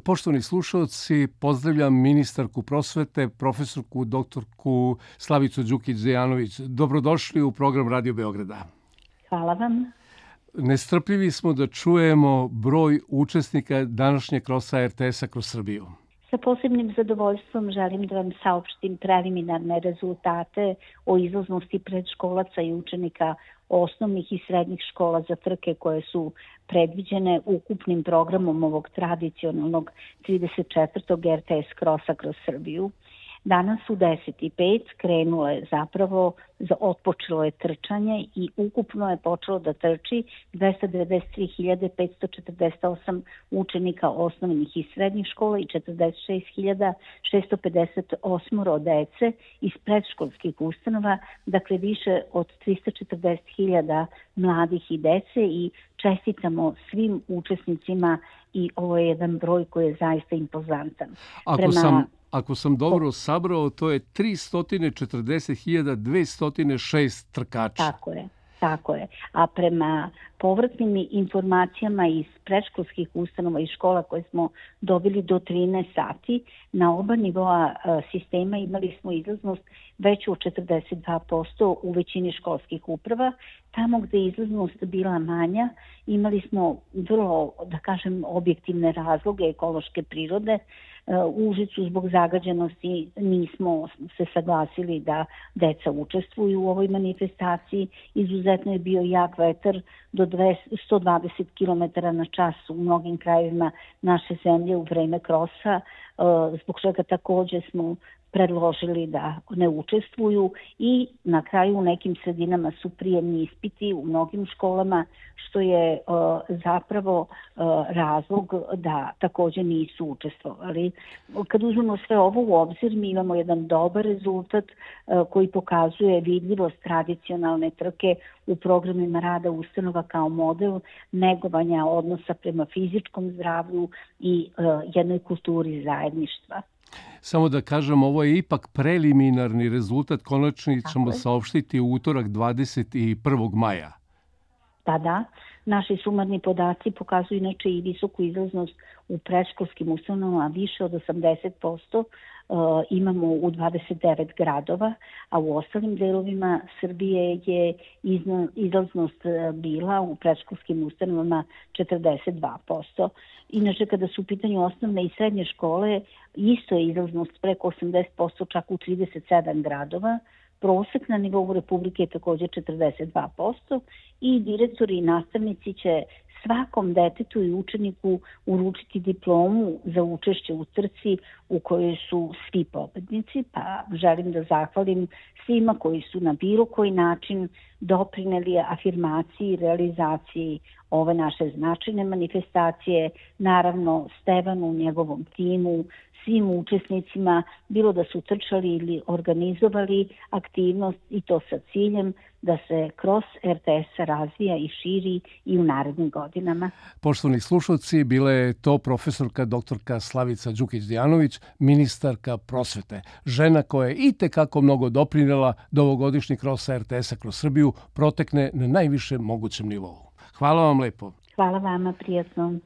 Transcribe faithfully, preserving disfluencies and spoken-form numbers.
Poštovani slušalci, pozdravljam ministarku prosvete, profesorku doktorku Slavicu Đukić-Dejanović. Dobrodošli u program Radio Beograda. Hvala vam. Nestrpljivi smo da čujemo broj učesnika današnjeg krosa er te es-a kroz Srbiju. Sa posebnim zadovoljstvom želim da vam saopštim preliminarne rezultate o izlaznosti predškolaca i učenika osnovnih i srednjih škola za trke koje su predviđene ukupnim programom ovog tradicionalnog trideset četvrtog er te es krosa kroz Srbiju. Danas u deset i pet krenulo je zapravo, otpočelo je trčanje i ukupno je počelo da trči dvesta devedeset tri hiljade petsto četrdeset osam učenika osnovnih i srednjih škola i četrdeset šest hiljada šesto pedeset osam dece iz predškolskih ustanova, dakle više od trista četrdeset hiljada mladih i dece i čestitamo svim učesnicima i ovo je jedan broj koji je zaista impozantan. Ako Prema... sam... Ako sam dobro sabrao, to je tristo četrdeset hiljada dvesta šest trkača. Tako je, tako je. A prema povratnim informacijama iz predškolskih ustanova i škola koje smo dobili do trinaest sati, na oba nivoa sistema imali smo izlaznost veću od četrdeset dva posto u većini školskih uprava. Tamo gde je izlaznost bila manja, imali smo vrlo, da kažem, objektivne razloge ekološke prirode. U Užicu zbog zagađenosti nismo se saglasili da deca učestvuju u ovoj manifestaciji. Izuzetno je bio jak vetar do sto dvadeset kilometara na čas u mnogim krajevima naše zemlje u vreme krosa, zbog čega takođe smo predložili da ne učestvuju i na kraju u nekim sredinama su prijemni ispiti u mnogim školama, što je uh, zapravo uh, razlog da takođe nisu učestvovali. Kad uzmemo sve ovo u obzir, mi imamo jedan dobar rezultat uh, koji pokazuje vidljivost tradicionalne trke u programima rada ustanova kao model negovanja odnosa prema fizičkom zdravlju i uh, jednoj kulturi zajedništva. Samo da kažem, ovo je ipak preliminarni rezultat, konačni ćemo saopštiti u utorak dvadeset prvog maja. Da, da. Naši sumarni podaci pokazuju inače i visoku izlaznost u predškolskim ustanovama, više od osamdeset posto imamo u dvadeset devet gradova, a u ostalim delovima Srbije je izlaznost bila u predškolskim ustanovama četrdeset dva posto. Inače, kada su u pitanju osnovne i srednje škole, isto je izlaznost preko osamdeset posto čak u trideset sedam gradova. Prosek na nivou Republike je također četrdeset dva posto i direktori i nastavnici će svakom detetu i učeniku uručiti diplomu za učešće u trci u kojoj su svi pobednici, pa želim da zahvalim svima koji su na bilo koji način doprineli afirmaciji i realizaciji ove naše značajne manifestacije, naravno Stevanu, njegovom timu, svim učesnicima, bilo da su trčali ili organizovali aktivnost i to sa ciljem da se kroz er te es razvija i širi i u narednim godinama. Poštovani slušalci, bila je to profesorka doktorka Slavica Đukić-Dejanović, ministarka prosvete. Žena koja je itekako mnogo doprinela da ovogodišnji kros er te es-a kroz Srbiju protekne na najvišem mogućem nivou. Hvala vam lepo. Hvala vama, prijatno.